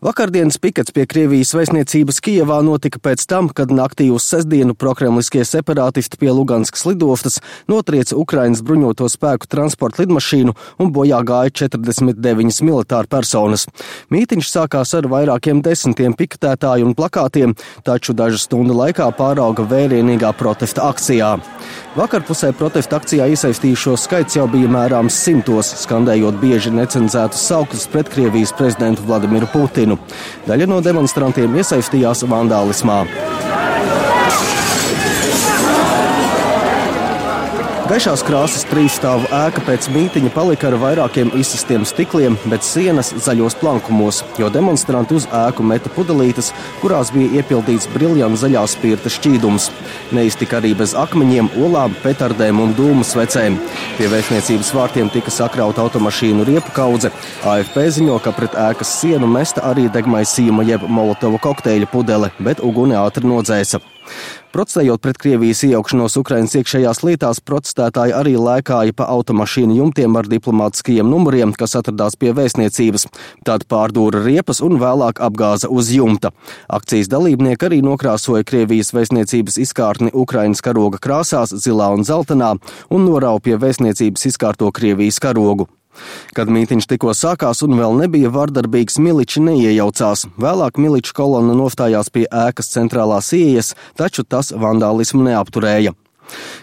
Vakardienas pikets pie Krievijas vēstniecības Kijevā notika pēc tam, kad naktī uz sestdienu prokremliskie separātisti pie Luganskas lidostas notrieca Ukrainas bruņoto spēku transporta lidmašīnu un bojā gāja 49 militāru personas. Mītiņš sākās ar vairākiem desmitiem piketētāju un plakātiem, taču dažu stundu laikā pārauga vērienīgā protesta akcijā. Vakarpusē protesta akcijā iesaistījušo skaits jau bija mērāms simtos, skandējot bieži necenzētus saukļus pret Krievijas prezidentu Vladimiru Putinu. Daļa no demonstrantiem iesaistījās vandālismā. Gaišās krāsas trīsstāvu ēka pēc mītiņa palika ar vairākiem izsistiem stikliem, bet sienas zaļos plankumos, jo demonstranti uz ēku meta pudelītes, kurās bija iepildīts briljanta zaļā spirta šķīdums. Neiztika arī bez akmeņiem, olām, petardēm un dūmu svecēm. Pie vēstniecības vārtiem tika sakrauta automašīnu riepu kaudze. AFP ziņo, ka pret ēkas sienu mesta arī degmaisījuma jeb molotova kokteļa pudele, bet uguni ātri nodzēsa. Protestējot pret Krievijas iejaukšanos Ukrainas iekšējās lietās, protestētāji arī lēkāja pa automašīnu jumtiem ar diplomātiskajiem numuriem, kas atradās pie vēstniecības. Tad pārdūra riepas un vēlāk apgāza uz jumta. Akcijas dalībnieki arī nokrāsoja Krievijas vēstniecības izkārtni Ukrainas karoga krāsās, zilā un zeltainā, un norauja pie vēstniecības izkārto Krievijas karogu. Kad mītiņš tikko sākās un vēl nebija vardarbīgs, miliči neiejaucās. Vēlāk miliču kolona nostājās pie ēkas centrālās ieejas, taču tas vandālismu neapturēja.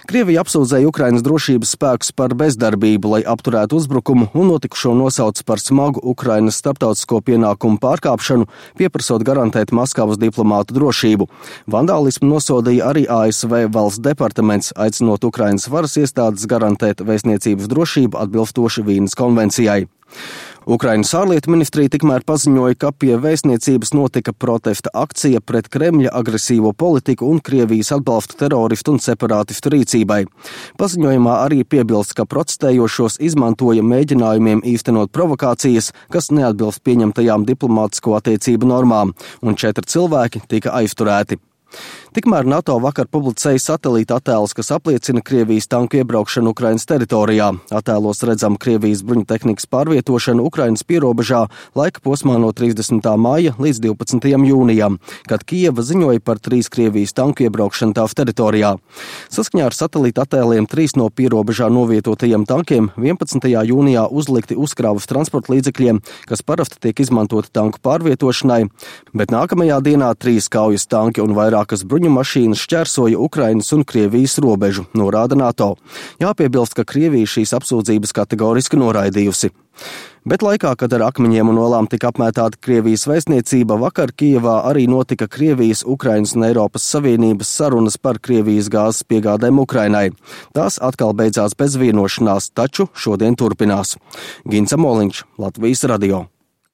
Krievija apsūdzēja Ukrainas drošības spēkus par bezdarbību, lai apturētu uzbrukumu, un notikušo nosauc par smagu Ukrainas starptautisko pienākumu pārkāpšanu, pieprasot garantēt Maskavas diplomātu drošību. Vandālismu nosodīja arī ASV valsts departaments, aicinot Ukrainas varas iestādes garantēt vēstniecības drošību atbilstoši Vīnes konvencijai. Ukrainas ārlietu ministrija tikmēr paziņoja, ka pie vēstniecības notika protesta akcija pret Kremļa agresīvo politiku un Krievijas atbalstu teroristu un separātistu rīcībai. Paziņojumā arī piebilst, ka protestējošos izmantoja mēģinājumiem īstenot provokācijas, kas neatbilst pieņemtajām diplomātisko attiecību normām, un 4 cilvēki tika aizturēti. Tikmēr NATO vakar publicēja satelīta attēlus, kas apliecina Krievijas tanku iebraukšanu Ukrainas teritorijā. Attēlos redzam Krievijas bruņutehnikas pārvietošanu Ukrainas pierobežā laika posmā no 30. māja līdz 12. jūnijam, kad Kijeva ziņoja par 3 Krievijas tanku iebraukšanu tās teritorijā. Saskaņā ar satelīta attēliem 3 no pierobežā novietotajiem tankiem 11. jūnijā uzlikti uzkrāvas transporta līdzekļiem, kas parasti tiek izmantoti tanku pārvietošanai, bet nākamajā dienā 3 kaujas tanki un vairākas mašīnas šķērsoja Ukrainas un Krievijas robežu, norāda NATO. Jāpiebilst, ka Krievija šīs apsūdzības kategoriski noraidījusi. Bet laikā, kad ar akmeņiem un olām tika apmētāta Krievijas vēstniecība, vakar Kijevā arī notika Krievijas, Ukrainas un Eiropas Savienības sarunas par Krievijas gāzes piegādēm Ukrainai. Tās atkal beidzās bez vienošanās, taču šodien turpinās. Gins Amoliņš, Latvijas radio.